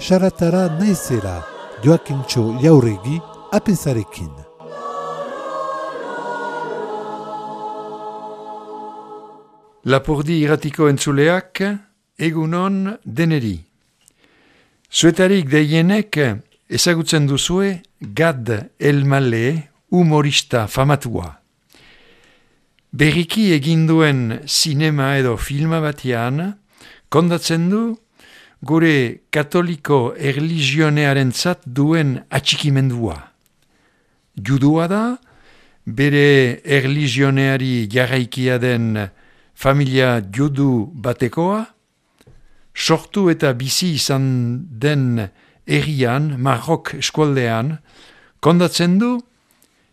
Saratara naizela, Joakintxo Jauregi, apezarekin. Lapurdi irratiko entzuleak, egunon deneri. Zuetarik deienek ezagutzen duzue Gad Elmaleh humorista famatua. Berriki eginduen zinema edo filma batean, kondatzen du gure katoliko erlijionearentzat duen atxikimendua. Judua da, bere erlijioneari jarraikia den familia judu batekoa, sortu eta bizi izan den herrian, Marok eskualdean, kondatzen du,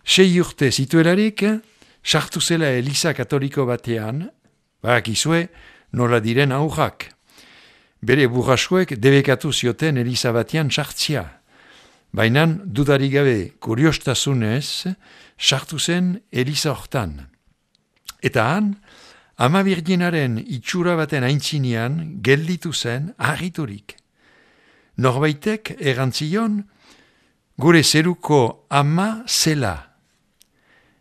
6 urte zituelarik, sartu zela Eliza katoliko batean, barakizue nola diren aurrak. Bere burrasuek debekatu zioten Eliza batean sartzia. Baina dudarik gabe kuriostasunez sartu zen Eliza hortan. Eta han, Ama Birjinaren itxura baten aintzinean gelditu zen harriturik. Norbaitek erantzion gure zeruko ama zela.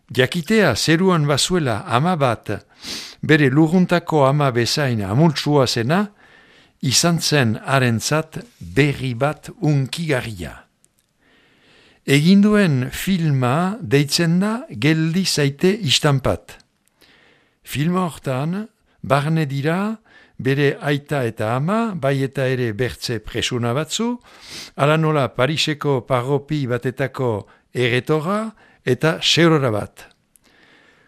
Jakitea zeruan bazuela ama bat, bere lurruntako ama bezain amultsua zena, izan zen harentzat berri bat unkigarria. Eginduen filma deitzen da geldi zaite istanpat. Filma hortan, barne dira bere aita eta ama, bai eta ere bertze presuna batzu, ala nola Pariseko parropi batetako erretora eta seurora bat.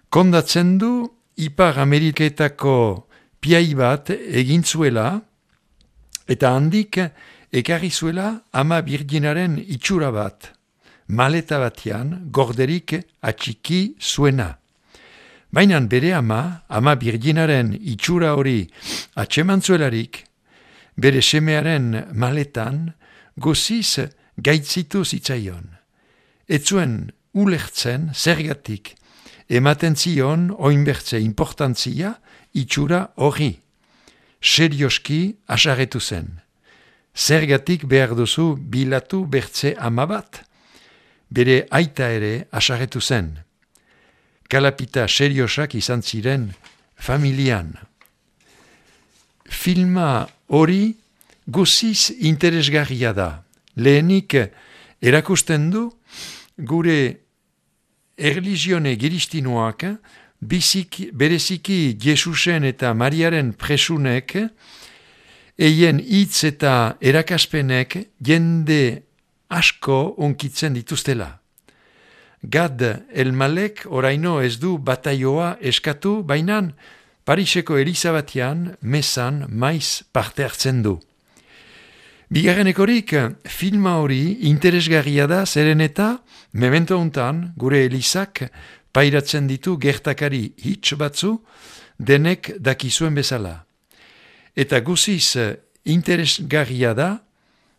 Kondatzen du Ipar Ameriketako piai bat egintzuela, eta handik ekarri zuela Ama Birjinaren itxura bat, maleta batean gorderik atxiki zuena. Baina bere Ama Birjinaren itxura hori atxemantzuelarik, bere semearen maletan goziz gaitzitu zitzaion. Etzuen ulertzen zergatik ematen zion oinbertze importantzia itxura hori. Serioski asarretu zen. Zergatik behar duzu bilatu bertze ama bat? Bere aita ere asarretu zen. Kalapita seriosak izan ziren familian. Filma hori guziz interesgarria da. Lehenik erakusten du gure erlizione giristinoak bereziki Jesusen eta Mariaren presunek eien hitz eta erakaspenek jende asko onkitzen dituztela. Gad Elmalek oraino ez du bataioa eskatu, bainan Pariseko Eliza batean mesan maiz parte hartzen du. Bigarrenekorik filma hori interesgarria da zeren eta memento hontan gure Elizak pairatzen ditu gertakari hitz batzu denek dakizuen bezala. Eta guziz interesgarria da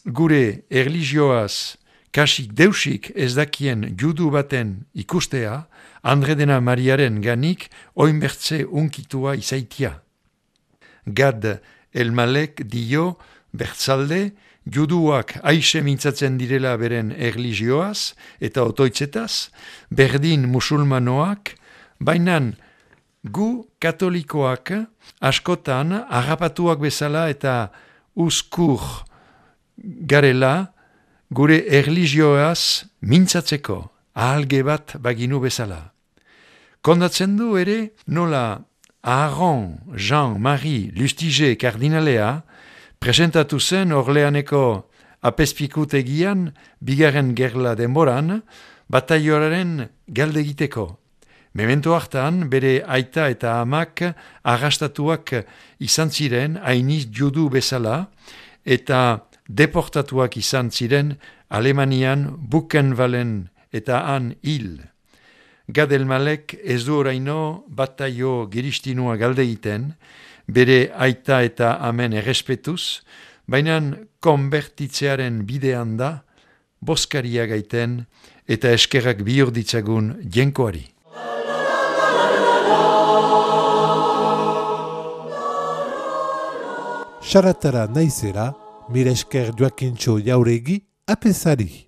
gure erlijioaz kasik deusik ez dakien judu baten ikustea, Andre dena Mariaren ganik oinbertze unkitua izaitia. Gad Elmalek dio bertzalde juduak aixe mintzatzen direla beren erlijioaz eta otoitzetaz, berdin musulmanoak, bainan gu katolikoak askotan harrapatuak bezala eta uzkur garela gure erlijioaz mintzatzeko ahalge bat baginu bezala. Kondatzen du ere nola Aaron Jean-Marie Lustiger kardinalea presentatu zen Orleaneko apezpikutegian bigarren gerla denboran bataioaren galdegiteko. Memento hartan, bere aita eta amak arrastatuak izan ziren, hainiz judu bezala, eta deportatuak izan ziren Alemanian Buchenwalden eta han hil. Gad Elmalek ez du oraino bataio giristinua galde egiten, bere aita eta amen errespetuz, baina konbertitzearen bidean da, boskaria gaiten eta eskerrak bihur ditzagun jenkoari. Saratara naizera, mire esker Joakintxo Jauregi apesari.